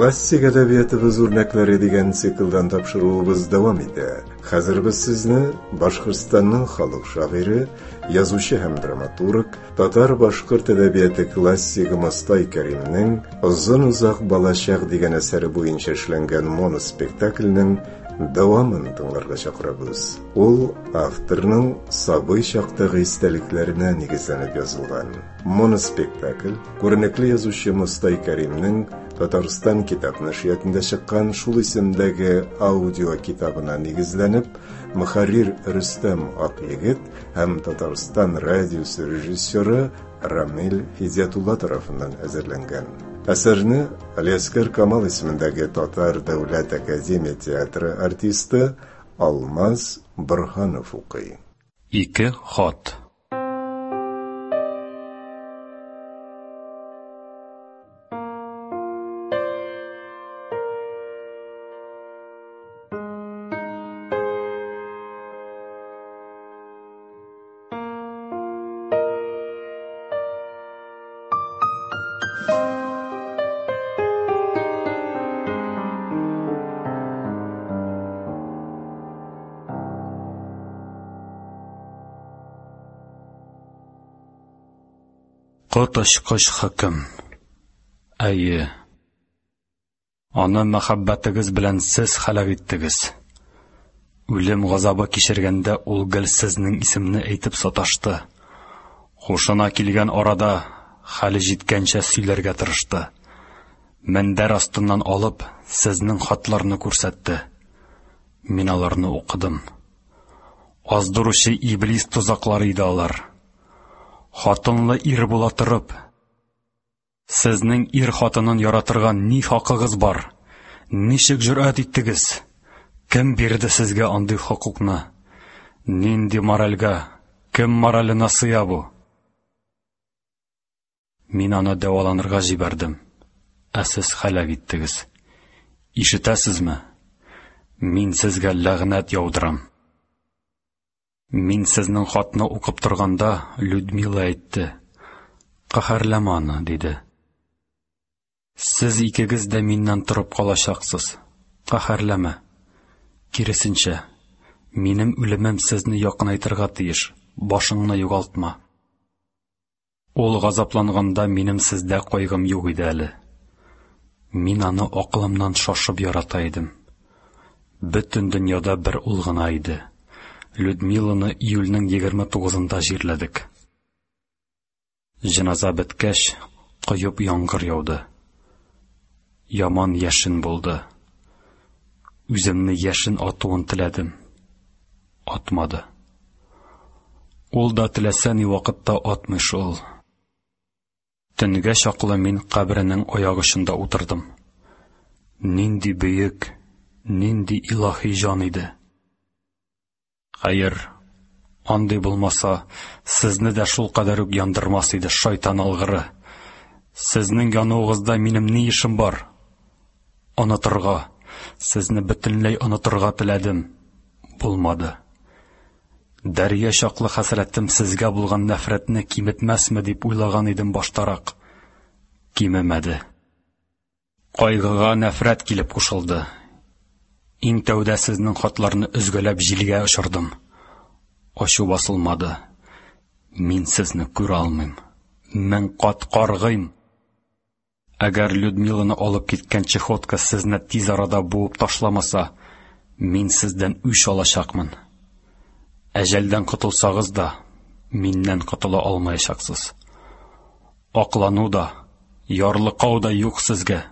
Классик әдәбиятыбыз үрнәкләре дигән циклдан тапшыруыбыз дәвам итә. Хәзер без сезне Башкортстанның халык шагыйре, язучы һәм драматург, татар-башкорт әдәбияты классигы Мостай Кәримнең Озын-озак балачак дигән әсәре буенча эшләнгән моноспектакльнең дәвамын тыңларга чакырабыз. Ул авторның сабый чактагы истәлекләренә нигезләнеп язылган. Моноспектакль күренекле язучы Мостай Кәримнең Татарстан китап нәшриятында чыккан шул исемдәге аудио китабына нигезләнеп, мөхәррир Рөстәм Акъегет һәм Татарстан радиосы режиссеры Рамил Һидиятулла тарафыннан әзерләнгән. Әсәрне Алиаскер Камал исемендәге Татар дәүләт академия театры артисты Алмаз Борһанов укый. Ике хат. Коточкыч хөкем. Әйе. Аны мәхәббәтегез белән сез һәлак иттегез. Үлем газабы кичергәндә ул гел сезнең исемне әйтеп саташты. Хушына килгән арада хәле җиткәнчә сөйләргә тырышты. Мендәр астыннан алып, сезнең хатларны күрсәтте. Мин аларны укыдым. Аздыручы иблис тозаклары иде алар. Хатынлы ир була торып, сезнең ир хатынын яратырга ни хакыгыз бар? Ничек җөрьәт иттегез? Кем бирде сезгә андый хокукны? Нинди моральгә, кем мораленә сыя бу? Мин аны дәваланырга җибәрдем, ә сез һәлак иттегез. Ишетәсезме? Мин сезгә ләгънәт яудырам. Мин сезнең хатны укып торганда, Людмила әйтте. Каһәрләмә аны, диде. Сез икегез дә миннән торып калачаксыз. Каһәрләмә. Киресенчә, минем үлемем сезне якынайтырга тиеш. Башыңны югалтма. Ул газапланганда минем сездә кайгым юк иде әле. Мин аны акылымнан шашып ярата идем. Бөтен дөньяда бер ул гына иде. Людмиланы июльнең 29-ында җирләдек. Җеназа беткәч, коеп яңгыр яуды. Яман яшен булды. Үземне яшен атуын теләдем. Атмады. Ул да теләсә ни вакытта атмый шул. Төнгә чаклы мин каберенең аяк очында утырдым. Нинди бөек, нинди илаһи җан иде. Хәер, андый булмаса, сезне дә шул кадәр үк яндырмас иде, шайтан алгыры. Сезнең януыгызда минем ни эшем бар? Онытырга, сезне бөтенләй онытырга теләдем. Булмады. Дәрья чаклы хәсрәтем сезгә булган нәфрәтне киметмәсме дип уйлаган идем баштарак. Кимемәде. Кайгыга нәфрәт килеп кушылды. Иң тәүдә сезнең хатларны өзгәләп җилгә очырдым. Ачу басылмады. Мин сезне күрә алмыйм. Мең кат каргыйм. Әгәр Людмиланы алып киткән чехотка сезне тиз арада буып ташламаса, мин сездән үч алачакмын. Әҗәлдән котылсагыз да, миннән котыла алмаячаксыз. Аклану да, ярлыкау да юк сезгә.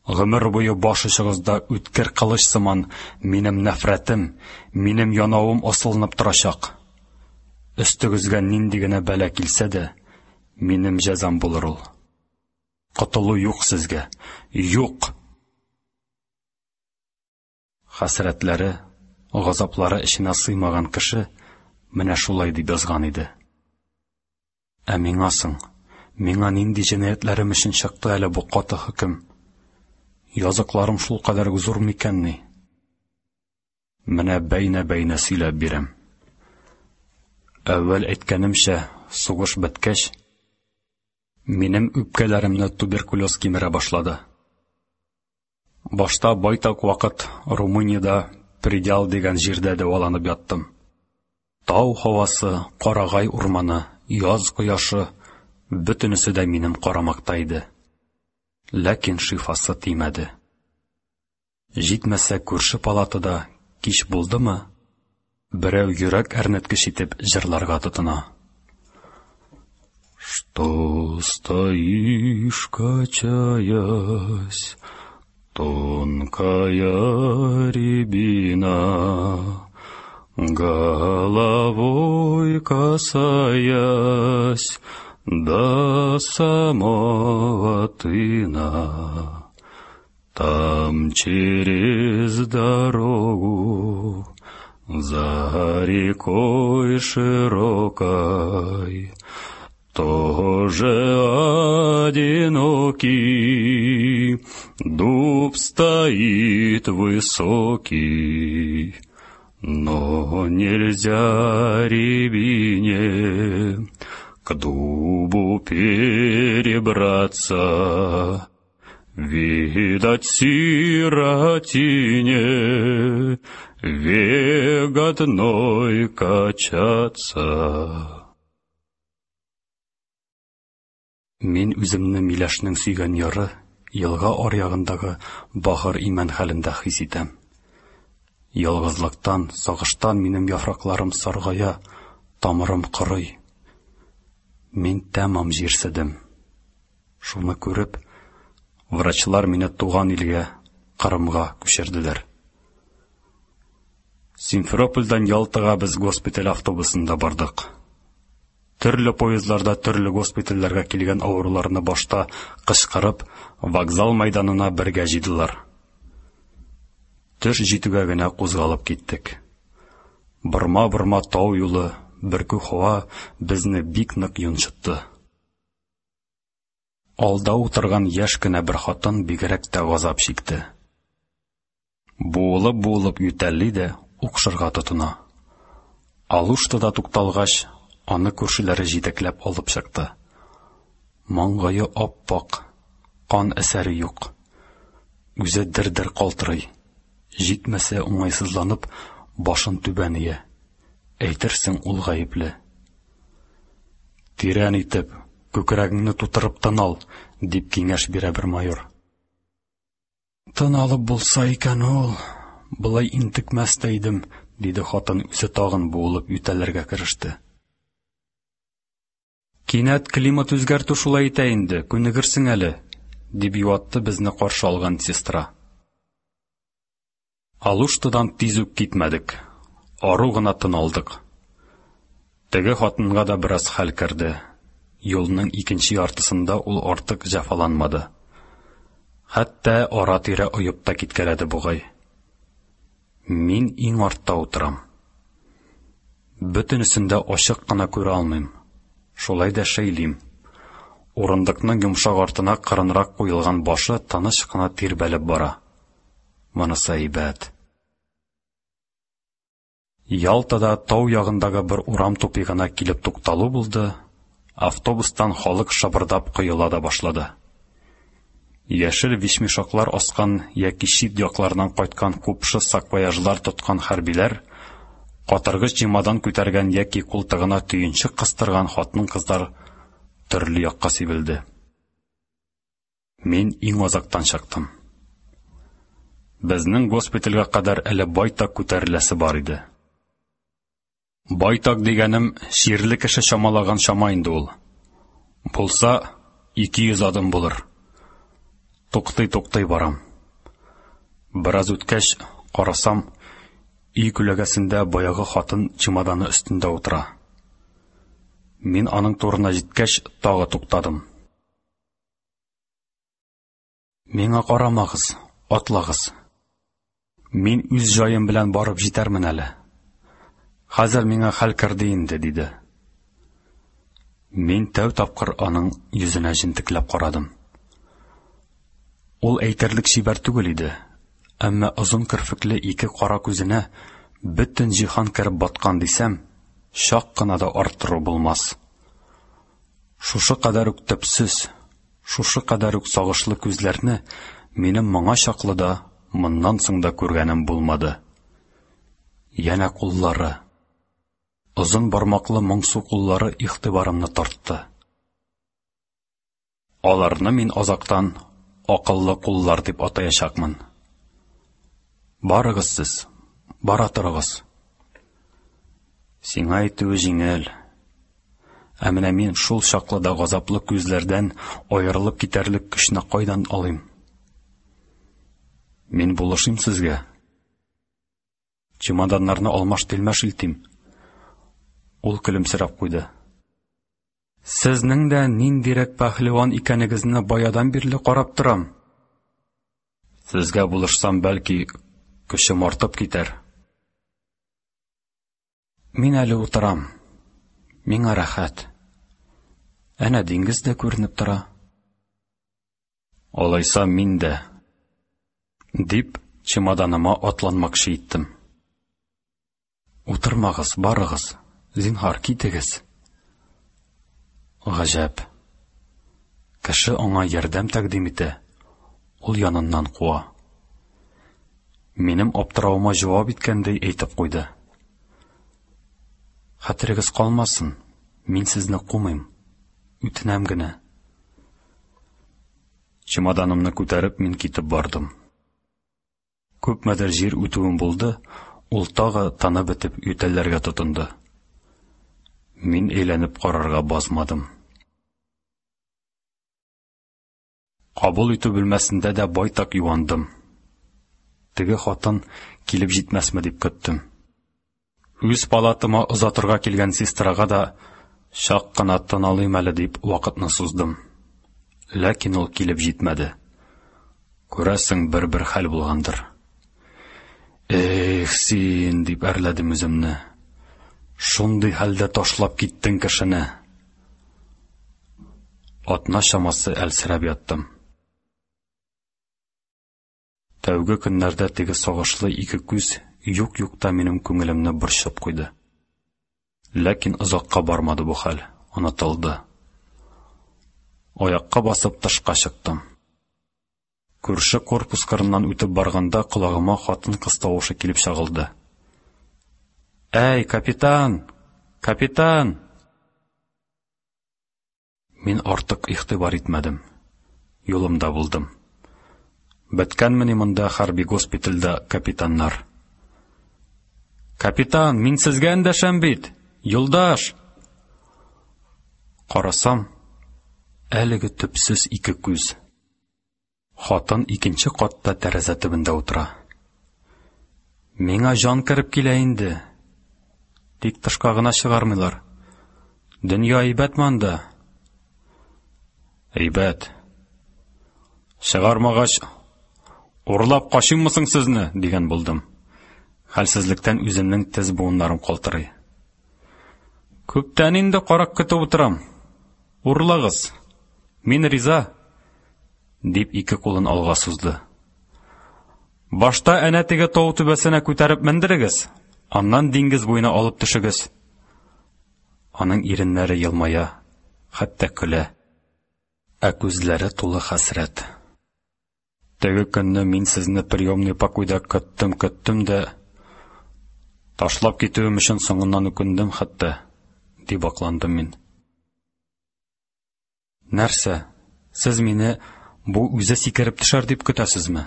Гомер буе баш очыгызда үткер кылыч сыман минем нәфрәтем, минем янавым асылынып торачак. Өстегезгә нинди генә бәла килсә дә, минем җәзам булыр ул. Котылу юк сезгә. Юк! Хәсрәтләре, газаплары эченә сыймаган кеше менә шулай дип язган иде. Ә миңа соң, миңа нинди җинаятьләрем өчен чыкты әле бу каты хөкем? Языкларым шул кадәр үк зур микәнни? Менә бәйнә-бәйнә сөйләп бирәм. Әүвәл әйткәнемчә, сугыш беткәч, минем үпкәләремне туберкулез кимерә башлады. Башта байтак вакыт Румыниядә Предел дигән җирдә дәваланып яттым. Тау һавасы, карагай урманы, яз кояшы бөтенесе дә минем карамакта иде. Ләкин шифасы тимәде. Җитмәсә күрше палатада кич булдымы, берәү йөрәк әрнеткеч итеп җырларга тотына. Что стоишь, качаясь, тонкая рябина, головой касаясь до самого тына. Там через дорогу, за рекой широкой, тоже одинокий дуб стоит высокий, но нельзя рябине к дубу перебраться. Видать, сиротине век одной качаться. Мин үземне Миләшнең сөйгән яры, елга аръягындагы бахыр имән хәлендә хис итәм. Ялгызлыктан, сагыштан минем яфракларым саргая, тамырым корый. Мин тәмам җирседем. Шуны күреп, врачлар мине туган илгә, Кырымга күчерделәр. Симферопольдән Ялтага без госпиталь автобусында бардык. Төрле поездларда төрле госпитальләргә килгән авыруларны башта кычкырып, вокзал мәйданына бергә җыйдылар. Төш җитүгә генә кузгалып киттек. Борма-борма тау юлы, бөркү һава безне бик нык йончытты. Алда утырган яшь кенә бер хатын бигрәк тә газап чикте. Буылып-буылып ютәлли дә укшырга тотына. Алуштада тукталгач, аны күршеләре җитәкләп алып чыкты. Маңгае ап-ак, кан әсәре юк. Үзе дер-дер калтырый. Җитмәсә уңайсызланып, башын түбән ия. Әйтерсең, ул гаепле. Тирән итеп, күкрәгеңне тутырып тын ал, дип киңәш бирә бер майор. Тын алып булса икән ул, болай интекмәс тә идем, диде хатын, үзе тагын буылып ютәлләргә кереште. Кинәт климат үзгәртү шулай итә инде, күнегерсең әле, дип юатты безне каршы алган сестра. Алуштадан тиз үк китмәдек. Ару гына тын алдык. Теге хатынга да бераз хәл керде. Юлның икенче яртысында ул артык җәфаланмады. Хәтта ара-тирә оеп та киткәләде бугай. Мин иң артта утырам. Бөтенесен дә ачык кына күрә алмыйм. Шулай да шәйлим. Урындыкның йомшак артына кырынрак куелган башы тыныч кына тирбәлеп бара. Монысы әйбәт. Ялтада тау ягындагы бер урам тупигына килеп тукталу булды, автобустан халык шабырдап коела да башлады. Яшел вишмешоклар аскан яки чит яклардан кайткан купшы саквояжлар тоткан хәрбиләр, катыргыч чемодан күтәргән яки култыгына төенчек кыстырган хатын-кызлар төрле якка сибелде. Мин иң азактан чыктым. Безнең госпитальгә кадәр әле байтак күтәреләсе бар иде. Байтак дигәнем чирле кеше чамалаган чама инде ул. Булса, 200 адым булыр. Туктый-туктый барам. Бераз үткәч, карасам, өй күләгәсендә баягы хатын чемоданы өстендә утыра. Мин аның турына җиткәч, тагы туктадым. Миңа карамагыз, атлагыз. Мин үз җаем белән барып җитәрмен әле. Хәзер миңа хәл керде инде, диде. Мин тәү тапкыр аның йөзенә җентекләп карадым. Ул әйтерлек чибәр түгел иде, әмма озын керфекле ике кара күзенә бөтен җиһан кереп баткан дисәм, чак кына да арттыру булмас. Шушы кадәр үк төпсез, шушы кадәр үк сагышлы күзләрне минем моңа чаклы да, моннан соң да күргәнем булмады. Янә куллары. Озын бармаклы моңсу куллары игътибарымны тартты. Аларны мин азактан акыллы куллар дип атаячакмын. Барыгыз сез, бара торыгыз. Сиңа әйтүе җиңел. Ә менә мин шул чаклы да газаплы күзләрдән аерылып китәрлек көчне кайдан алыйм? Мин булышыйм сезгә. Чемоданнарны алмаш-тилмәш илтим. Ул көлемсерәп куйды. Сезнең дә ниндирәк пәһлеван икәнегезне баядан бирле карап торам. Сезгә булышсам, бәлки, көчем артып китәр. Мин әле утырам. Миңа рәхәт. Әнә диңгез дә күренеп тора. Алайса мин дә, дип, чемоданыма атланмакчы иттем. Утырмагыз, барыгыз, зинһар, китегез. Гаҗәп. Кеше аңа ярдәм тәкъдим итә, ул яныннан куа. Минем аптыравыма җавап иткәндәй әйтеп куйды. Хәтерегез калмасын, мин сезне кумыйм, үтенәм генә. Чемоданымны күтәреп мин китеп бардым. Күпмедер җир үтүем булды, ул тагы тыны бетеп ютәлләргә тотынды. Мин әйләнеп карарга базмадым. Кабул итү бүлмәсендә дә байтак юандым. Теге хатын килеп җитмәсме дип көттем. Үз палатама озатырга килгән сестрага да чак кына тын алыйм әле дип вакытны суздым. Ләкин ул килеп җитмәде. Күрәсең, бер-бер хәл булгандыр. Эх, син, дип әрләдем үземне. Шундый хәлдә ташлап киттең кешене. Атна чамасы әлсерәп яттым. Тәүге көннәрдә теге сагышлы ике күз юк-юкта минем күңелемне борчып куйды. Ләкин озакка бармады бу хәл, онытылды. Аякка басып тышка чыктым. Күрше корпус кырыннан үтеп барганда колагыма хатын-кыз тавышы килеп чагылды. Әй, капитан! Капитан! Мин артык игътибар итмәдем. Юлымда булдым. Беткәнмени монда хәрби госпитальдә капитаннар? Капитан, мин сезгә эндәшәм бит! Юлдаш! Карасам, әлеге төпсез ике күз. Хатын икенче катта тәрәзә төбендә утыра. Миңа җан кереп килә инде. Тик тышка гына чыгармыйлар. Дөнья әйбәтме анда? Әйбәт. Чыгармагач, урлап качыйммы соң сезне, дигән булдым. Хәлсезлектән үземнең тез буыннарым калтырый. Күптән инде карак көтеп утырам. Урлагыз. Мин риза, дип ике кулын алга сузды. Башта әнә теге тау түбәсенә күтәреп мендерегез, аннан диңгез буена алып төшегез. Аның иреннәре елмая, хәтта көлә, ә күзләре тулы хәсрәт. Теге көнне мин сезне приемный покойда көттем-көттем дә, ташлап китүем өчен соңыннан үкендем хәтта, дип акландым мин. Нәрсә, сез мине бу үзе сикереп төшәр дип көтәсезме?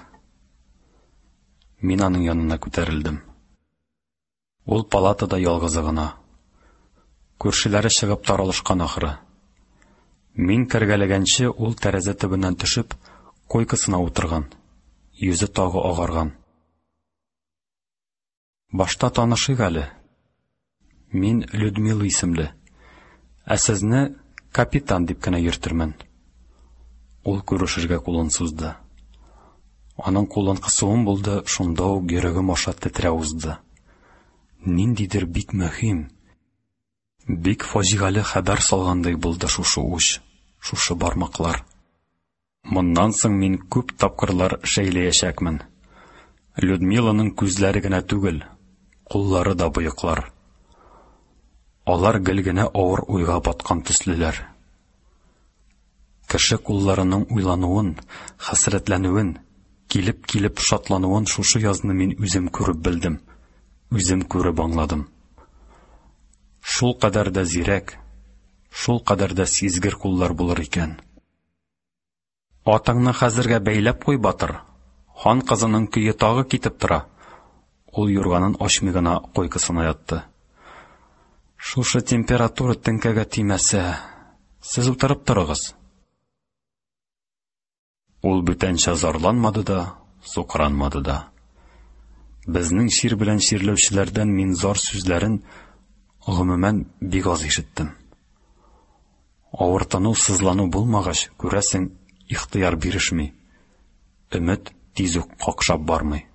Мин аның янына күтәрелдем. Ул палатада ялгызы гына. Күршеләре чыгып таралышкан ахры. Мин кергәләгәнче ул тәрәзә төбеннән төшеп, койкасына утырган. Йөзе тагы агарган. Башта танышыйк әле. Мин Людмила исемле. Ә сезне капитан дип кенә йөртермен. Ул күрешергә кулын сузды. Аның кулын кысуым булды, шунда ук йөрәгем аша тетрәү узды. Ниндидер бик мөһим, бик фаҗигале хәбәр салгандай булды шушы уч, шушы бармаклар. Моннан соң мин күп тапкырлар шәйләячәкмен. Людмиланың күзләре генә түгел, куллары да боеклар. Алар гел генә авыр уйга баткан төслеләр. Кеше кулларының уйлануын, хәсрәтләнүен килеп-килеп шатлануын шушы язны мин үзем күреп белдем, үзем күреп аңладым. Шул кадәр дә зирәк, шул кадәр дә сизгер куллар булыр икән. Атыңны хәзергә бәйләп куй, батыр. Хан кызының көе тагы китеп тора. Ул юрганын ачмый гына койкасына ятты. Шушы температура теңкәгә тимәсә, сез утырып торыгыз. Ул бүтәнчә зарланмады да, сукранмады да. Безнең чир белән чирләүчеләрдән мин зар сүзләрен, гомумән, бик аз ишеттем. Авыртыну, сызлану булмагач, күрәсең, ихтыяр бирешми. Өмет тиз үк какшап бармый.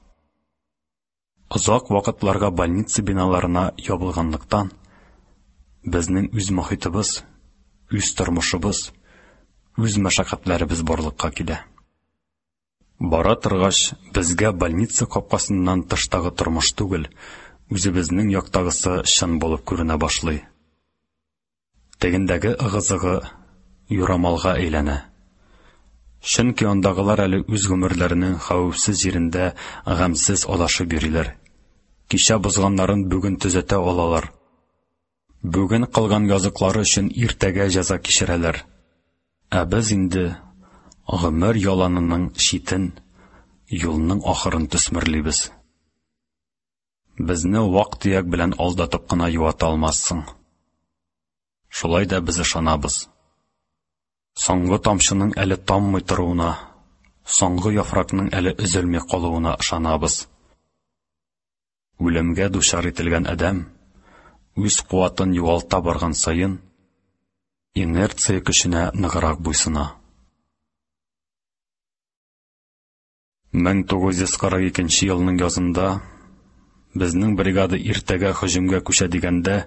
Озак вакытларга больница биналарына ябылганлыктан, безнең үз мохитыбыз, үз тормышыбыз, үз мәшәкатьләребез барлыкка килә. Бара торгач, безгә больница капкасыннан тыштагы тормыш түгел, үзебезнең яктагысы чын булып күренә башлый. Тегендәге ыгы-зыгы юрамалга әйләнә. Чөнки андагылар әле үз гомерләренең хәвефсез җирендә гамьсез адашып йөриләр. Кичә бозганнарын бүген төзәтә алалар. Бүген кылган языклары өчен иртәгә җәза кичерәләр. Ә без инде гомер яланының читен, юлның ахырын төсмерлибез. Безне вак-төяк белән алдатып кына юата алмассың. Шулай да без ышанабыз. Соңгы тамчының әле таммый торуына, соңгы яфракның әле өзелми калуына ышанабыз. Үлемгә дучар ителгән адәм, үз куатын югалта барган саен, инерция көченә ныграк буйсына. 1942 елның язында безнең бригада иртәгә һөҗүмгә күчә дигәндә,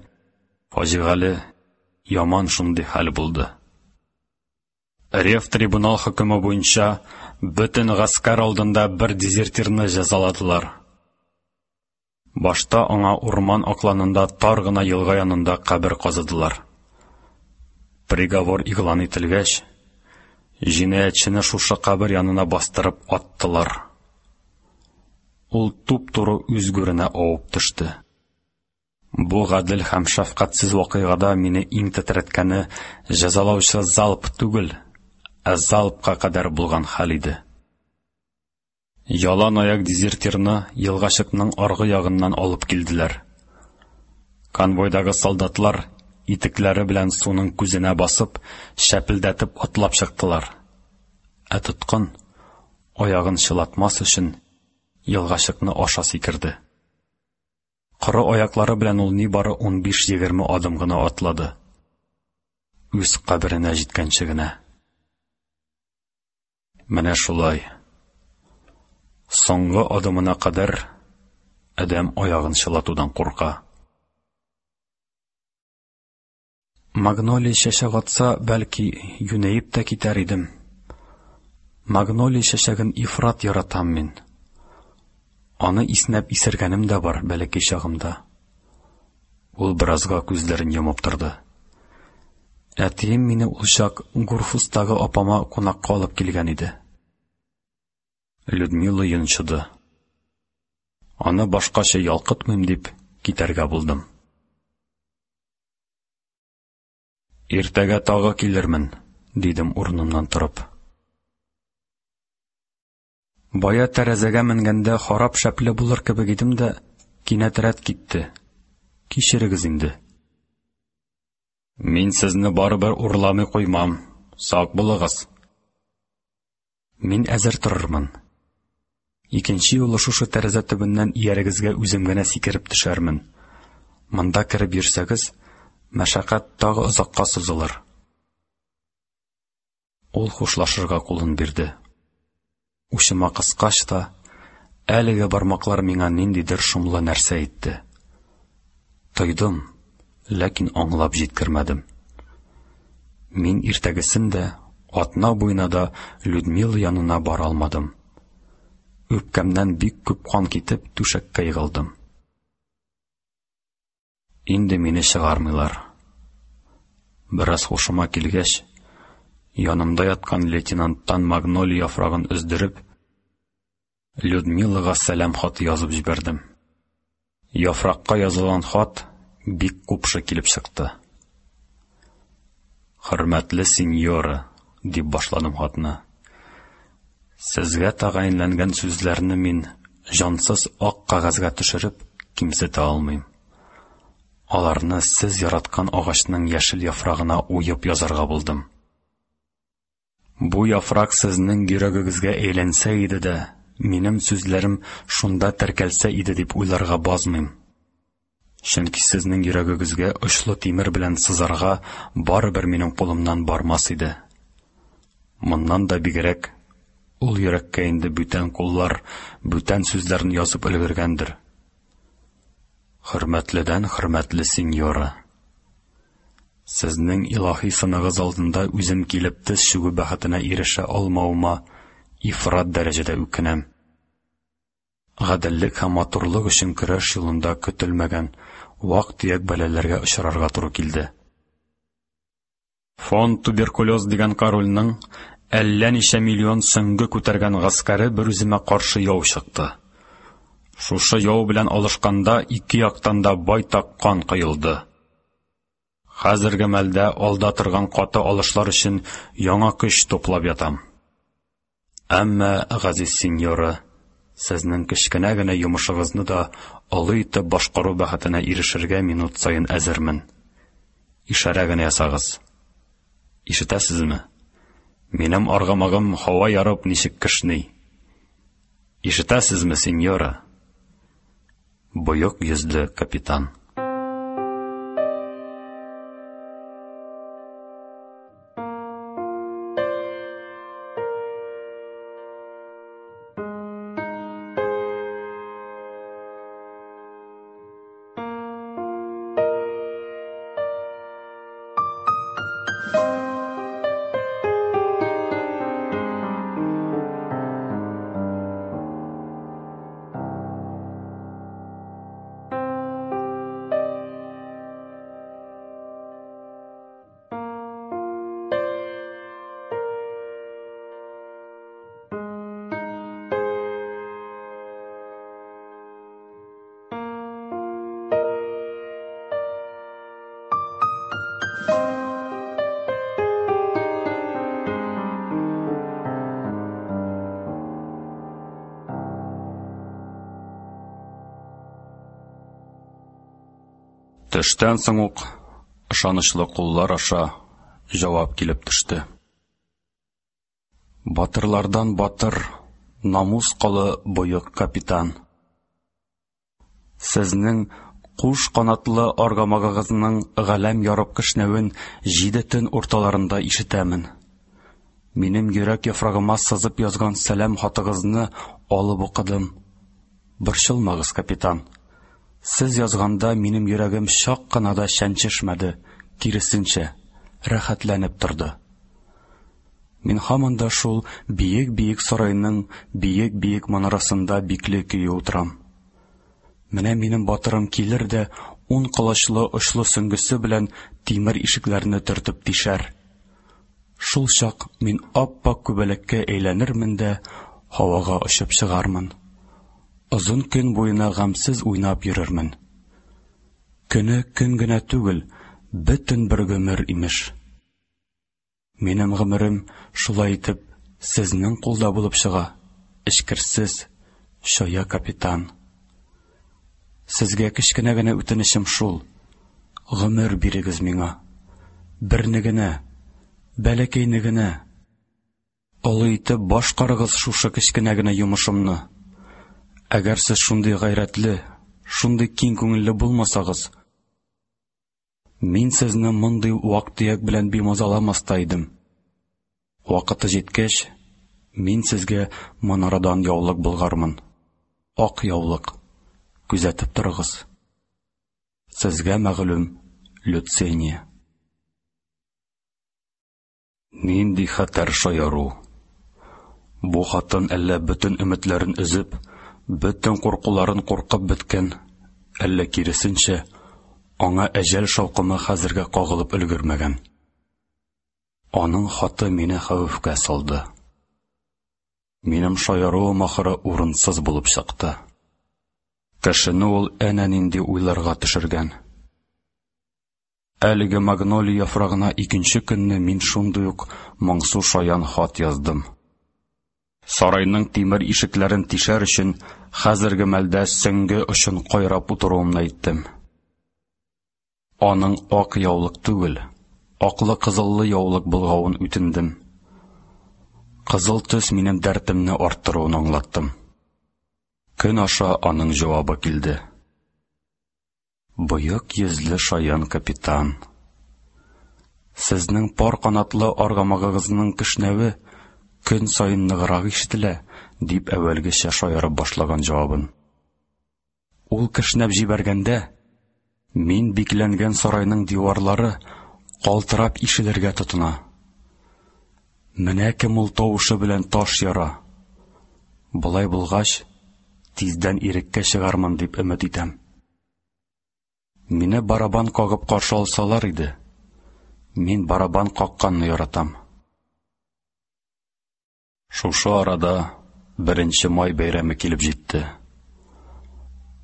фаҗигале, яман шундый хәл булды. Ревтрибунал хөкеме буенча бөтен гаскәр алдында бер дезертирны җәзаладылар. Башта аңа урман акланында тар гына елга янында кабер казыдылар. Приговор игълан ителгәч, җинаятьчене шушы кабер янына бастырып аттылар. Ул туп-туры үз гүренә авып төште. Бу гадел һәм шәфкатьсез вакыйгада мине иң тетрәткәне җәзалаучы залп түгел, ә залпка кадәр булган хәл иде. Ялан аяк дезертирны елгачыкның аргы ягыннан алып килделәр. Конвойдагы солдатлар итекләре белән суның күзенә басып, шәпелдәтеп атлап чыктылар. Ә тоткын, аягын чылатмас өчен, елгачыкны аша сикерде. Коры аяклары белән ул нибары 15-20 адым гына атлады. Үз каберенә җиткәнче генә. Менә шулай. Соңгы адымына кадәр адәм аягын чылатудан курка. Магнолия чәчәк атса, бәлки, юнәеп тә китәр идем. Магнолия чәчәген ифрат яратам мин. Аны иснәп исергәнем дә бар бәләкәй чагымда. Ул беразга күзләрен йомып торды. Әтием мине ул чак Гурфустагы апама кунакка алып килгән иде. Людмила йончыды. Аны башкача ялкытмыйм дип китәргә булдым. Иртәгә тагы килермен, дидем урынымнан торып. Бая тәрәзәгә менгәндә харап шәпле булыр кебек идем дә, кинәт рәт китте. Кичерегез инде. Мин сезне барыбер урламый куймам. Сак булыгыз. Мин әзер торырмын. Икенче юлы шушы тәрәзә төбеннән иярегезгә үзем генә сикереп төшәрмен. Монда кереп йөрсәгез, мәшәкать тагы озакка сузылыр. Ул хушлашырга кулын бирде. Учыма кыскач та, әлеге бармаклар миңа ниндидер шомлы нәрсә әйтте. Тойдым, ләкин аңлап җиткермәдем. Мин иртәгесен дә, атна буена да Людмила янына бара алмадым. Үпкәмнән бик күп кан китеп, түшәккә егылдым. Инде мине чыгармыйлар. Бераз һушыма килгәч, янымда яткан лейтенанттан магнолия яфрагын өздереп, Людмилага сәлам хаты язып җибәрдем. Яфракка язылган хат бик купшы килеп чыкты. Хөрмәтле сеньора, дип башладым хатны. Сезгә тәгаенләнгән сүзләрне мин җансыз ак кәгазьгә төшереп кимсетә алмыйм. Аларны сез яраткан агачның яшел яфрагына уеп язарга булдым. Бу яфрак сезнең йөрәгегезгә әйләнсә иде дә, минем сүзләрем шунда теркәлсә иде дип уйларга базмыйм. Чөнки сезнең йөрәгегезгә очлы тимер белән сызарга барыбер минем кулымнан бармас иде. Моннан да бигрәк, ул йөрәккә инде бүтән куллар, бүтән сүзләрне язып өлгергәндер. Хөрмәтледән хөрмәтле сеньора, сезнең илаһи сыныгыз алдында үзем килеп тез чүгү бәхетенә ирешә алмавыма ифрат дәрәҗәдә үкенәм. Гаделлек һәм матурлык өчен көрәш юлында көтелмәгән вак-төяк бәлаләргә очрарга туры килде. Фон Туберкулез дигән корольнең әллә ничә миллион сөңге күтәргән гаскәре берүземә каршы яу чыкты. Шушы яу белән алышканда ике яктан да байтак кан коелды. Хәзерге мәлдә алда торган каты алышлар өчен яңа көч туплап ятам. Әмма, газиз сеньора, сезнең кечкенә генә йомышыгызны да олы итеп башкару бәхетенә ирешергә минут саен әзермен. Ишарә генә ясагыз. Ишетәсезме? Минем аргамагым һава ярып ничек кешни. Ишетәсезме, сеньора? Боек йөзле капитан. Төштән соң ук ышанычлы куллар аша җавап килеп төште. Батырлардан батыр, намус колы боек капитан. Сезнең куш канатлы аргамагыгызның галәм ярып кешнәвен җиде төн урталарында ишетәмен. Минем йөрәк яфрагыма сызып язган сәлам хатыгызны алып укыдым. Борчылмагыз, капитан. Сез язганда минем йөрәгем чак кына да чәнчешмәде, киресенчә, рәхәтләнеп торды. Мин һаман да шул биек-биек сарайның биек-биек манарасында бикле көе утырам. Менә минем батырым килер дә ун колачлы очлы сөңгесе белән тимер ишекләрне төртеп тишәр. Шул чак мин ап-ак күбәләккә әйләнермен дә һавага очып чыгармын. Озын көн буена гамьсез уйнап йөрермен. Көне көн генә түгел, бөтен бер гомер имеш. Минем гомерем шулай итеп сезнең кулда булып чыга, эчкерсез, чая капитан. Сезгә кечкенә генә үтенечем шул: гомер бирегез миңа. Берне генә, бәләкәйне генә. Олы итеп башкарыгыз шушы кечкенә генә йомышымны. Әгәр сез шундый гайрәтле, шундый киң күңелле булмасагыз, мин сезне мондый вак-төяк белән бимазаламас та идем. Вакыты җиткәч, мин сезгә манарадан яулык болгармын. Ак яулык. Күзәтеп торыгыз. Сезгә мәгълүм Люцения. Нинди хәтәр шаяру! Бу хатын әллә бөтен өметләрен өзеп, бөтен куркуларын куркып беткән, әллә киресенчә, аңа әҗәл шаукымы хәзергә кагылып өлгермәгән. Аның хаты мине хәвефкә салды. Минем шаяруым ахыры урынсыз булып чыкты. Кешене ул әнә нинди уйларга төшергән. Әлеге магнолия яфрагына икенче көнне мин шундый ук моңсу шаян хат яздым. Сарайның тимер ишекләрен тишәр өчен хәзерге мәлдә сөңге очын кайрап утыруымны әйттем. Аның ак яулык түгел, аклы-кызыллы яулык болгавын үтендем. Кызыл төс минем дәртемне арттыруын аңлаттым. Көн аша аның җавабы килде. Боек йөзле шаян капитан. Сезнең пар канатлы аргамагыгызның кешнәве көн саен ныграк ишетелә, дип әүвәлгечә шаярып башлаган җавабын. Ул кешнәп җибәргәндә, мин бикләнгән сарайның диварлары калтырап ишелергә тотына. Менә кем ул тавышы белән таш яра. Болай булгач, тиздән иреккә чыгармын дип өмет итәм. Мине барабан кагып каршы алсалар иде. Мин барабан какканны яратам. Шушы арада Беренче май бәйрәме килеп җитте.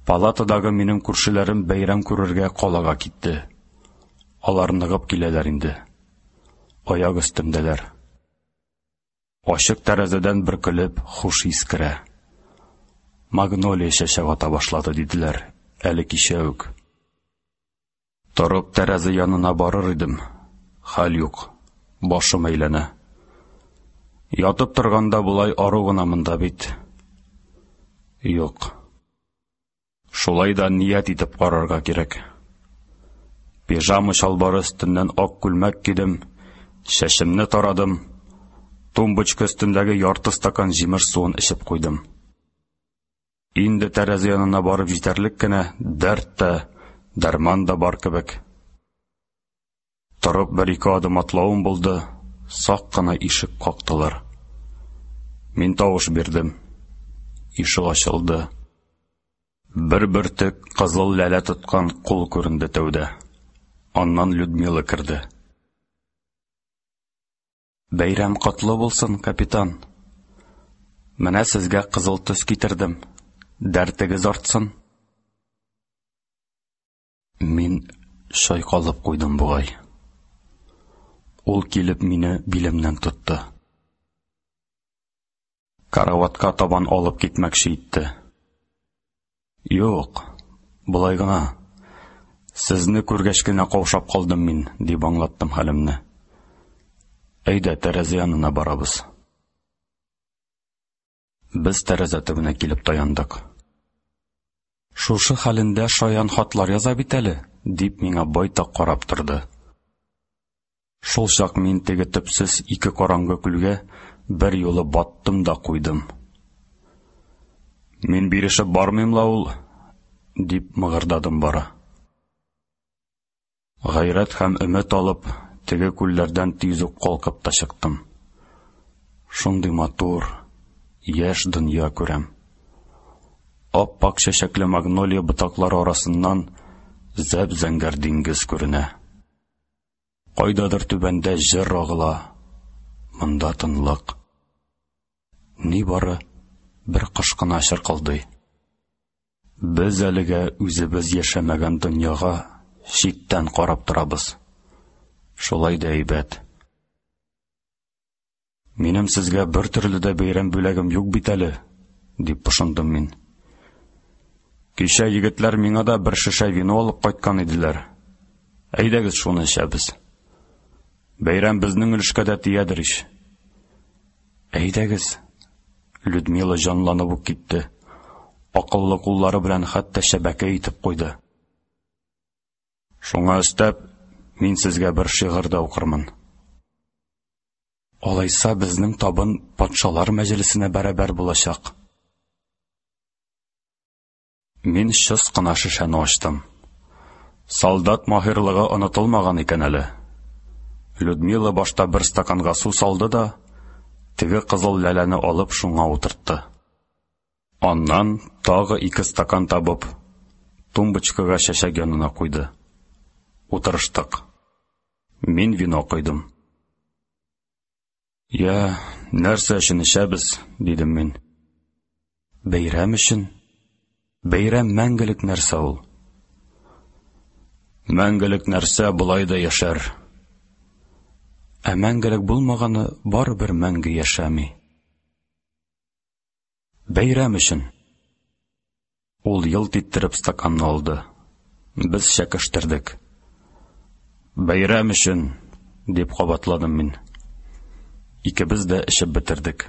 Палатадагы минем күршеләрем бәйрәм күрергә калага китте. Алар ныгып киләләр инде. Аяк өстендәләр. Ачык тәрәзәдән бөркелеп хуш ис керә. Магнолия чәчәк ата башлады, диделәр, әле кичә үк. Торып тәрәзә янына барыр идем, хәл юк, башым әйләнә. Ятып торганда болай ару гына монда бит. Юк. Шулай да ният итеп карарга кирәк. Пижама чалбары өстеннән ак күлмәк кидем, чәчемне тарадым, тумбочка өстендәге ярты стакан җимеш суын эчеп куйдым. Инде тәрәзә янына барып җитәрлек кенә дәрт тә, дәрман да бар кебек. Торып бер-ике адым атлавым булды, сак кына ишек кактылар. Мин тавыш бирдем. Ишек ачылды. Бер бөртек кызыл ләлә тоткан кул күренде тәүдә. Аннан Людмила керде. Бәйрәм котлы булсын, капитан. Менә сезгә кызыл төс китердем. Дәртегез артсын. Мин чайкалып куйдым бугай. Ул килеп мине билемнән тотты. Караватка табан алып китмәкче итте. Юк, болай гына. Сезне күргәч кенә каушап калдым мин, дип аңлаттым хәлемне. Әйдә, тәрәзә янына барабыз. Без тәрәзә төбенә килеп таяндык. Шушы хәлендә шаян хатлар яза бит әле, дип миңа байтак карап торды. Шул чак мин теге төпсез ике караңгы күлгә бер юлы баттым да куйдым. Мин бирешеп бармыйм ла ул, дип мыгырдадым бары. Гайрәт һәм өмет алып, теге күлләрдән тиз үк калкып та чыктым. Шундый матур, яшь дөнья күрәм. Ап-ак чәчәкле магнолия ботаклары арасыннан зәп-зәңгәр диңгез күренә. Кайдадыр түбәндә җыр агыла, монда тынлык. Нибары бер кош кына чыркылдый. Без әлегә үзебез яшәмәгән дөньяга читтән карап торабыз. Шулай да әйбәт. Минем сезгә бер төрле дә бәйрәм бүләгем юк бит әле, дип пошындым мин. Кичә егетләр миңа да бер шешә вино алып кайткан иделәр. Әйдәгез шуны эчәбез. Бәйрәм безнең өлешкә дә тиядер ич. Әйдәгез. Людмила җанланып ук китте. Акыллы куллары белән хәтта шәбәкә итеп куйды. Шуңа өстәп, мин сезгә бер шигырь дә укырмын. Алайса безнең табын патшалар мәҗлесенә бәрабәр булачак. Мин чыс кына шешәне ачтым. Солдат маһирлыгы онытылмаган икән әле. Людмила башта бер стаканга су салды да, теге кызыл ләләне алып шуңа утыртты. Аннан тагы ике стакан табып, тумбочкага чәчәк янына куйды. Утырыштык. Мин вино койдым. Я, нәрсә өчен эчәбез? дидем мин. Бәйрәм өчен. Бәйрәм мәңгелек нәрсә ул. Мәңгелек нәрсә болай да яшәр. Ә мәңгелек булмаганы барыбер мәңге яшәми. Бәйрәм өчен. Ул елт иттереп стаканны алды. Без чәкештердек. Бәйрәм өчен, дип кабатладым мин. Икебез дә эчеп бетердек.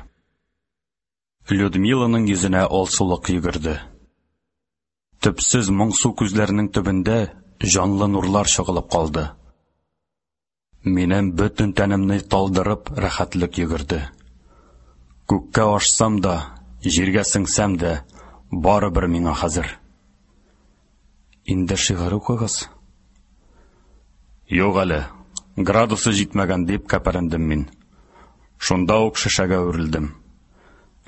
Людмиланың йөзенә алсулык йөгерде. Төпсез моңсу күзләренең төбендә җанлы нурлар чагылып калды. Минем бөтен тәнемне талдырып рәхәтлек йөгерде. Күккә ашсам да, җиргә сеңсәм дә, барыбер миңа хәзер. Инде шигырь укыгыз. Юк әле, градусы җитмәгән дип кәпәрендем мин. Шунда ук шешәгә үрелдем.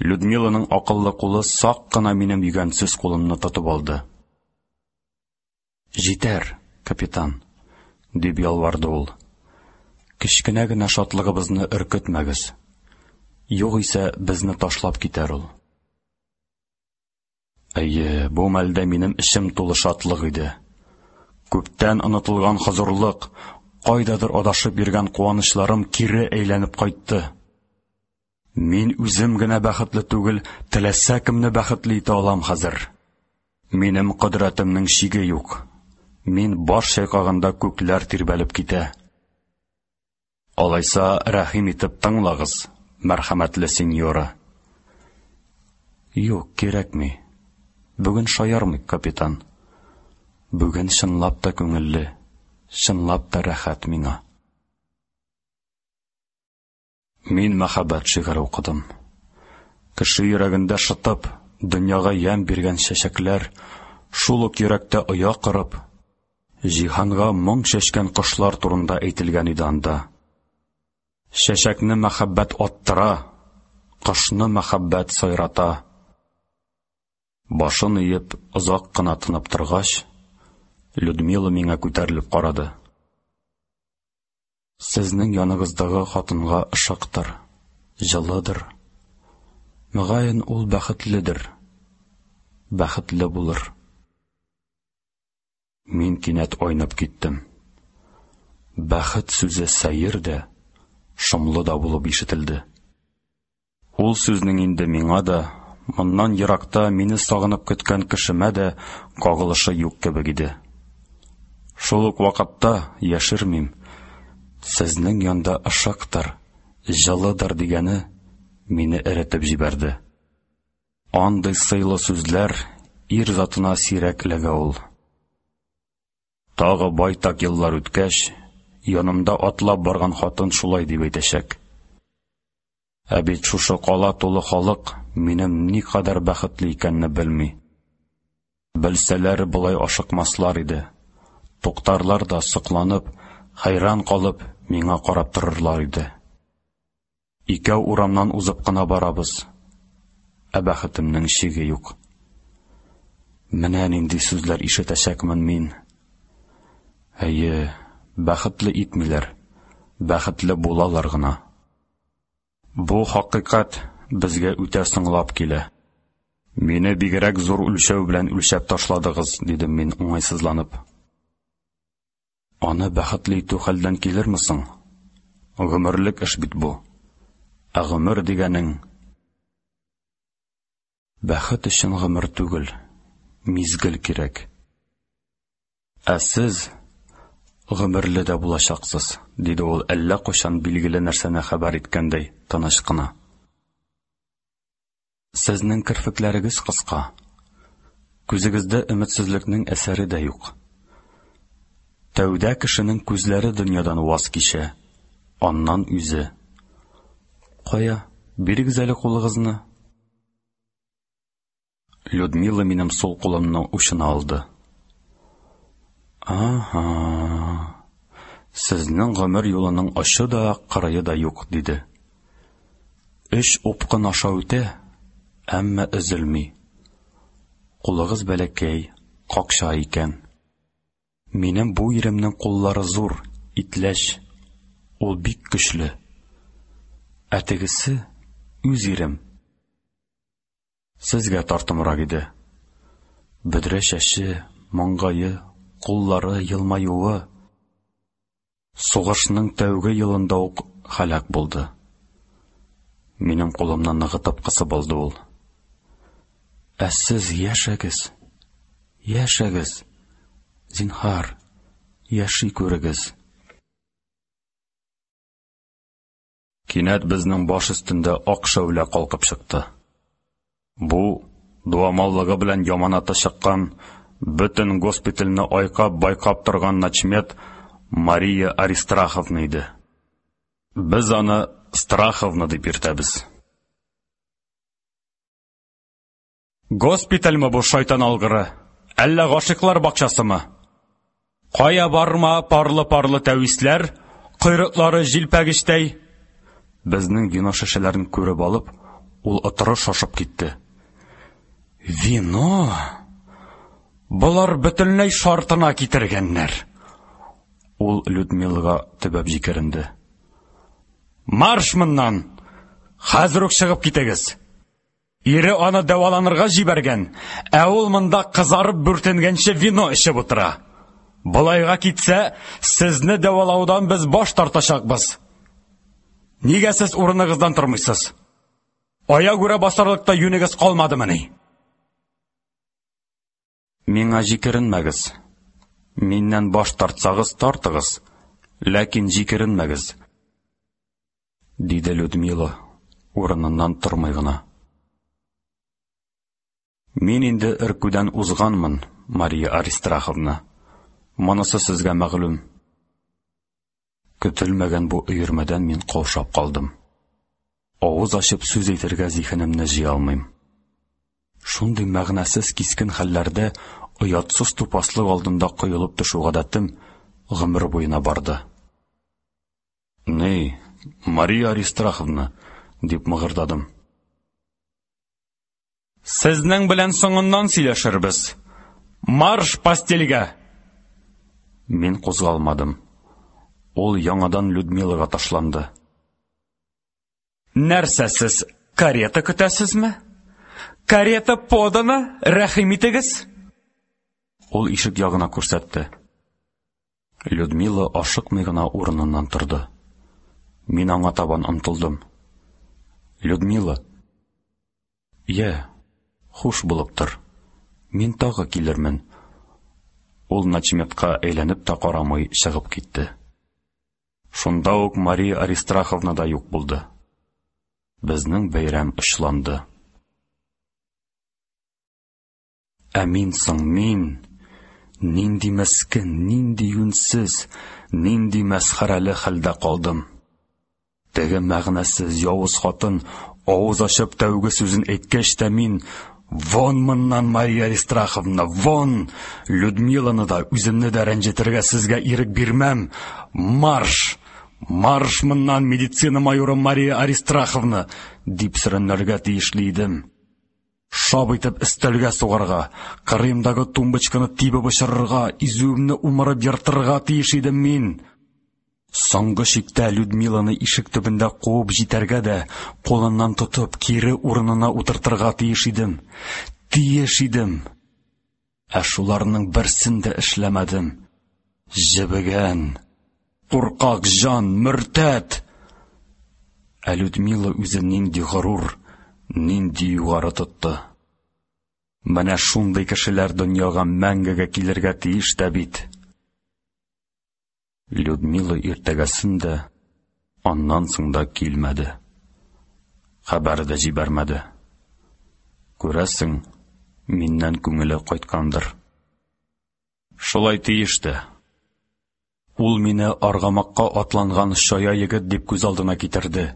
Людмиланың акыллы кулы сак кына минем йөгәнсез кулымны тотып алды. Җитәр, капитан, дип ялварды ул. Кечкенә генә шатлыгыбызны өркетмәгез. Югыйсә безне ташлап китәр ул. Әйе, бу мәлдә минем эчем тулы шатлык иде. Күптән онытылган хозурлык, кайдадыр адашып йөргән куанычларым кире әйләнеп кайтты. Мин үзем генә бәхетле түгел, теләсә кемне бәхетле итә алам хәзер. Минем кодрәтемнең чиге юк. Мин баш чайкаганда күкләр тирбәлеп китә. Алайса, рәхим итеп тыңлагыз, мәрхәмәтле сеньора. Юк, кирәкми. Бүген шаярмыйк, капитан. Бүген чынлап та күңелле, чынлап та рәхәт миңа. Мин мәхәббәт шигыре укыдым. Кеше йөрәгендә шытып, дөньяга ямь биргән чәчәкләр, шул ук йөрәктә оя корып, җиһанга моң чәчкән кошлар турында әйтелгән иде анда. Чәчәкне мәхәббәт аттыра, кошны мәхәббәт сайрата. Башын иеп, озак кына тынып торгач, Людмила миңа күтәрелеп карады. Сезнең яныгыздагы хатынга ышыктыр, җылыдыр. Мөгаен, ул бәхетледер. Бәхетле булыр. Мин кинәт айнып киттем. Бәхет сүзе сәер дә, шомлы да булып ишетелде. Ул сүзнең инде миңа да, моннан еракта мине сагынып көткән кешемә дә кагылышы юк кебек иде. Шул ук вакытта, яшермим, сезнең янда ышыктыр, җылыдыр дигәне мине эретеп җибәрде. Андый сыйлы сүзләр ир затына сирәк эләгә ул. Тагы байтак еллар үткәч, янымда атлап барган хатын шулай дип әйтәчәк. Ә бит шушы кала тулы халык минем никадәр бәхетле икәнне белми. Белсәләр, болай ашыкмаслар иде. Туктарлар да сокланып, хәйран калып, миңа карап торырлар иде. Икәү урамнан узып кына барабыз. Ә бәхетемнең чиге юк. Менә нинди сүзләр ишетәчәкмен мин. Әйе, бәхетле итмиләр, бәхетле булалар гына. Бу хакыйкать безгә үтә соңлап килә. Мине бигрәк зур үлчәү белән үлчәп ташладыгыз, дидем мин уңайсызланып. Аны бәхетле итү хәлдән килерме соң? Гомерлек эш бит бу. Ә гомер дигәнең бәхет өчен гомер түгел, мизгел кирәк. Ә сез гомерле дә булачаксыз, диде ул әллә кайчан билгеле нәрсәне хәбәр иткәндәй тыныч кына. Сезнең керфекләрегез кыска. Күзегездә өметсезлекнең әсәре дә юк. Тәүдә кешенең күзләре дөньядан ваз кичә, аннан үзе. Кая, бирегез әле кулыгызны. Людмила минем сул кулымны учына алды. Ага. Сезнең гомер юлының очы да, кырые да юк, диде. Өч упкын аша үтә, әмма өзелми. Кулыгыз бәләкәй, какча икән. Минем бу иремнең куллары зур, итләч. Ул бик көчле. Ә тегесе Үз ирем. Сезгә тартымрак иде. Бөдрә чәче, маңгае, куллары, елмаюы. Сугышның тәүге елында ук һәлак булды. Минем кулымны ныгытып кысып алды ул. Ә сез яшәгез, яшәгез, зинһар, яши күрегез. Кинәт безнең баш өстендә ак шәүлә калкып чыкты. Бу, дуамаллыгы белән яманаты чыккан, бөтен госпитальне айкап-байкап торган начмед Мария Аристраховна иде. Без аны Страховна дип йөртәбез. Госпитальме бу, шайтан алгыры? Әллә гашыйклар бакчасымы? Кая барма парлы-парлы тәвисләр, койрыклары җилпәгечтәй. Безнең вино шешәләрен күреп алып, ул отыры шашып китте. Вино? Болар бөтенләй шартына китергәннәр. Ул Людмилага төбәп җикеренде. Марш моннан! Хәзер үк чыгып китегез! Ире аны дәваланырга җибәргән, ә ул монда кызарып бүртенгәнче вино эчеп утыра. Болайга китсә, сезне дәвалаудан без баш тартачакбыз. Нигә сез урыныгыздан тормыйсыз? Аягүрә басарлык та юнегез калмадымыни? Миңа җикеренмәгез. Миннән баш тартсагыз, тартыгыз, ләкин җикеренмәгез. Диде Людмила, урыныннан тормый гына. Мин инде өркүдән узганмын, Мария Аристраховна. Монысы сезгә мәгълүм. Көтелмәгән бу өермәдән мин каушап калдым. Авыз ачып сүз әйтергә зиһенемне җыя алмыйм. Шундый мәгънәсез кискен хәлләрдә оятсыз тупаслык алдында коелып төшү гадәтем гомер буена барды. Ни, Мария Аристраховна, дип мыгырдадым. Сезнең белән соңыннан сөйләшербез. Марш постельгә! Мин кузгалмадым. Ул яңадан Людмилага ташланды. Нәрсә сез, карета көтәсезме? Карета подана, рәхим итегез! Ул ишек ягына күрсәтте. Людмила ашыкмый гына урыныннан торды. Мин аңа табан омтылдым. Людмила, йә, хуш булып тор. Мин тагы килермен. Ул начметка әйләнеп тә карамый чыгып китте. Шунда ук Мария Аристраховна да юк булды. Безнең бәйрәм очланды. Ә мин соң, мин нинди мескен, нинди юньсез, нинди мәсхәрәле хәлдә калдым. Теге мәгънәсез явыз хатын авыз ачып тәүге сүзен әйткәч тә мин Вон моннан, Мария Аристраховна, вон! Людмиланы да, үземне дә рәнҗетергә сезгә ирек бирмәм. Марш! Марш моннан, медицина майоры Мария Аристраховна! дип сөрәнләргә тиешле идем. Шап итеп өстәлгә сугарга, кырыемдагы тумбочканы тибеп очырырга, изүемне умырып ертырга тиеш идем мин. Соңгы чиктә Людмиланы ишек төбендә куып җитәргә дә, кулыннан тотып, кире урынына утыртырга тиеш идем. Тиеш идем. Ә шуларның берсен дә эшләмәдем. Җебегән, куркак җан, мөртәт! Ә Людмила үзен нинди горур, нинди югары тотты. Менә шундый кешеләр дөньяга мәңгегә килергә тиеш тә бит. Людмила иртәгәсен дә, аннан соң да килмәде. Хәбәр дә җибәрмәде. Күрәсең, миннән күңеле кайткандыр. Шулай тиеш тә. Ул мине аргамакка атланган чая егет дип күз алдына китерде.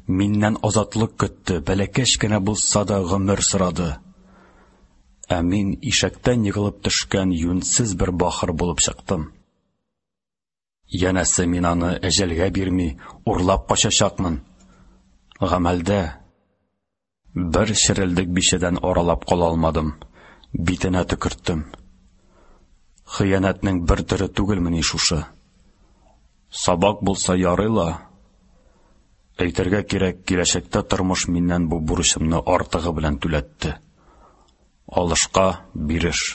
Миннән азатлык көтте, бәләкәч кенә булса да гомер сорады. Ә мин ишәктән егылып төшкән юньсез бер бахыр булып чыктым. Янәсе мин аны әҗәлгә бирми, урлап качачакмын. Гамәлдә бер черелдек бичәдән аралап кала алмадым, битенә төкерттем. Хыянәтнең бер төре түгелмени шушы? Сабак булса ярый ла. Әйтергә кирәк, киләчәктә тормыш миннән бу бурычымны артыгы белән түләтте. Алышка биреш.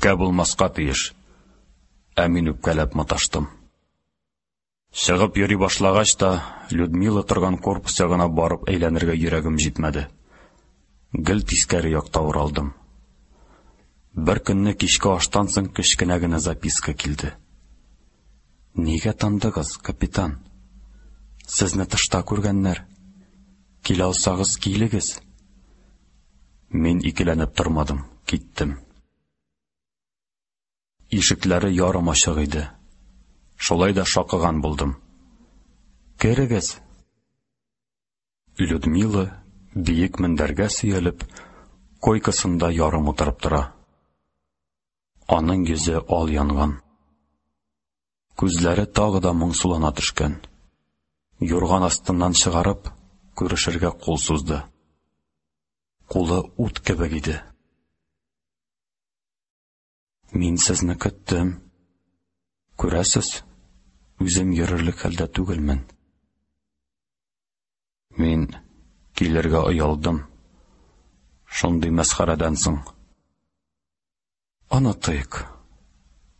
Үпкә булмаска тиеш. Ә мин үпкәләп маташтым. Чыгып йөри башлагач та, Людмила торган корпус ягына барып әйләнергә йөрәгем җитмәде. Гел тискәре якта уралдым. Бер көнне кичке аштан соң кечкенә генә записка килде. Нигә тандыгыз, капитан? Сезне тышта күргәннәр. Килә алсагыз, килегез. Мин икеләнеп тормадым, киттем. Ишекләре ярым ачык иде. Шулай да шакыган булдым. Керегез. Людмила биек мендәргә сөялеп, койкасында ярым утырып тора. Аның йөзе ал янган. Күзләре тагы да моңсулана төшкән. Юрган астыннан чыгарып, күрешергә кул сузды. Кулы ут кебек иде. Мин сезне көттем. Күрәсез, үзем йөрерлек хәлдә түгелмен. Мин килергә оялдым. Шундый мәсхәрәдән соң. Онытыйк.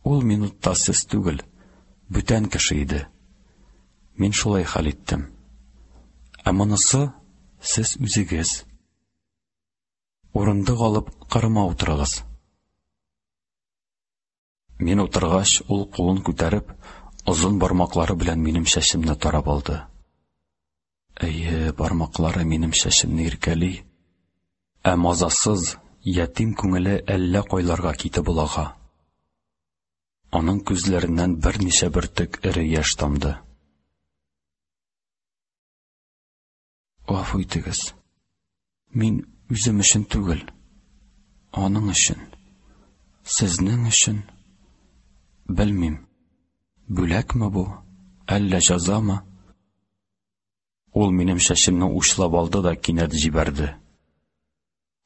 Ул минутта сез түгел, бүтән кеше иде. Мин шулай хәл иттем. Ә монысы сез үзегез. Урындык алып кырыма утырыгыз. Мин утыргач, ул кулын күтәреп, озын бармаклары белән минем чәчемне тарап алды. Әйе, бармаклары минем чәчемне иркәли. Ә мазасыз, ятим күңеле әллә кайларга китеп олага. Аның күзләреннән берничә бөртек эре яшь тамды. Гафу итегез. Мин үзем өчен түгел, аның өчен, сезнең өчен. Белмим, бүләкме бу, әллә җәзамы? Ул минем чәчемне учлап алды да кинәт җибәрде.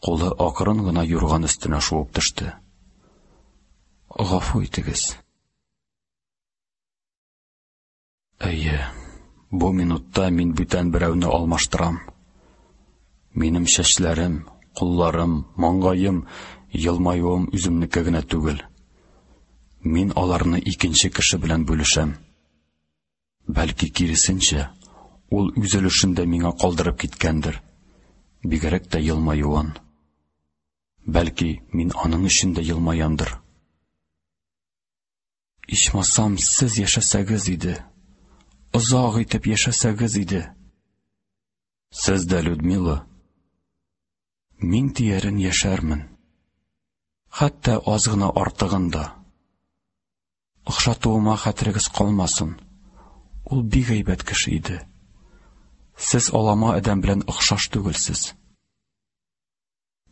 Кулы акрын гына юрган өстенә шуып төште. Гафу итегез. Әйе, бу минутта мин бүтән берәүне алмаштырам. Минем чәчләрем, кулларым, маңгаем, елмаюым үземнеке генә түгел. Мин аларны икенче кеше белән бүлешәм. Бәлки киресенчә, ул үз өлешен дә миңа калдырып киткәндер. Бигрәк тә елмаюын. Бәлки, мин аның өчен дә елмаямдыр. Ичмасам, сез яшәсәгез иде. Озак итеп яшәсәгез иде. Сез дә, Людмила. Мин диярен яшәрмен. Хәтта аз гына артыгын да. Охшатуыма хәтерегез калмасын. Ул бик әйбәт кеше иде. Сез алама адәм белән охшаш түгелсез.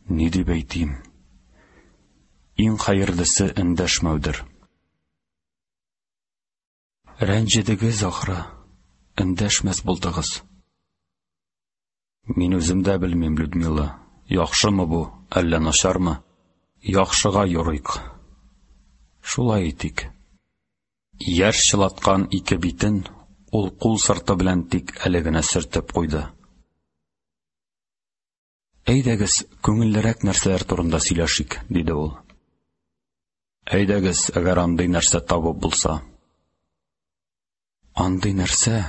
Ни дип әйтим? Иң хәерлесе эндәшмәүдер. Рәнҗедегез ахры, эндәшмәс булдыгыз. Мин үзем дә белмим, Людмила, яхшымы бу, әллә начармы? Яхшыга юрыйк. Шулай итик. Яшь чылаткан ике битен ул кул сырты белән тик әле генә сөртеп куйды. Әйдәгез, күңеллерәк нәрсәләр турында сөйләшик, диде ул. Әйдәгез, әгәр андый нәрсә табып булса. Андый нәрсә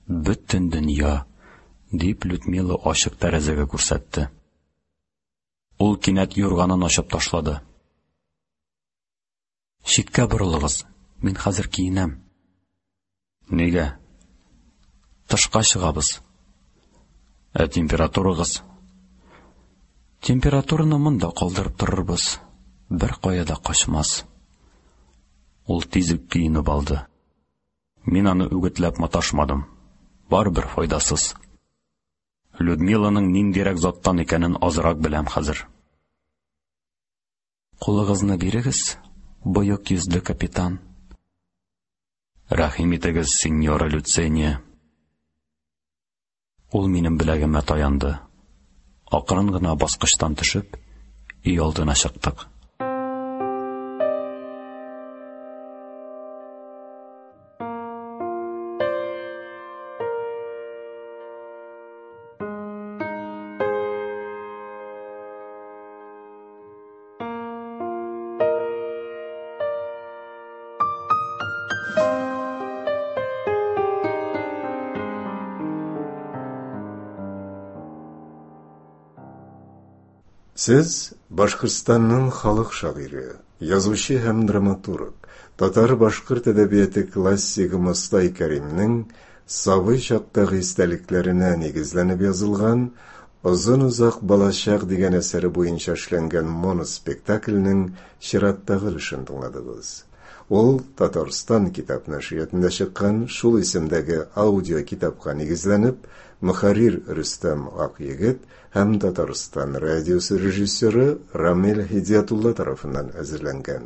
Бөтен дөнья, дип Людмила ачык тәрәзәгә күрсәтте. Ул кинәт юрганын ачып ташлады. Читкә борылыгыз, мин хәзер киенәм. Нигә? Тышка чыгабыз. Ә температурагыз? Температураны монда калдырып торырбыз. Бер кая да качмас. Ул тиз үк киенеп алды. Мин аны үгетләп маташмадым. Барыбер файдасыз. Людмиланың ниндирәк заттан икәнен азрак беләм хәзер. Кулыгызны бирегез, боек йөзле капитан. Рәхим итегез, сеньора Люцения. Ул минем беләгемә таянды. Акрын гына баскычтан төшеп, өй алдына чыктык. Сез Башкортстанның халык шагыйре, язучы һәм драматург, татар-башкорт әдәбияты классигы Мостай Кәримнең сабый чактагы истәлекләренә нигезләнеп язылган Озын-озак балачак дигән әсәре буенча эшләнгән моноспектакльнең чираттагы өлешен тыңладыгыз. Ул Татарстан китап нәшриятында чыккан шул исемдәге аудиокитапка нигезләнеп, мөхәррир Рөстәм Акъегет һәм Татарстан радиосы режиссеры Рамил Һидиятулла тарафыннан әзерләнгән.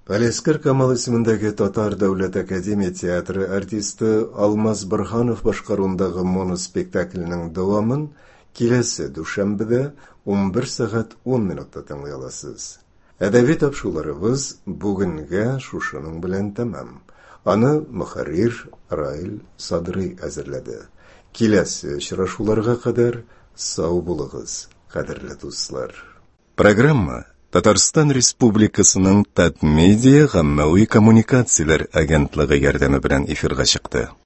Галиәсгар Камал исемендәге Татар дәүләт академия театры артисты Алмаз Борһанов башкаруындагы моноспектакльнең дәвамын киләсе дүшәмбедә 11 сәгать 10 минутта тыңлый аласыз. Әдәби тапшыруларыбыз бүгенгә шушының белән тәмам. Аны мөхәррир Раил Садрый әзерләде. Киләсе очрашуларга кадәр сау булыгыз, кадерле дуслар. Программа Татарстан Республикасының Татмедиа гаммәви коммуникацияләр агентлыгы ярдәме белән эфирга чыкты.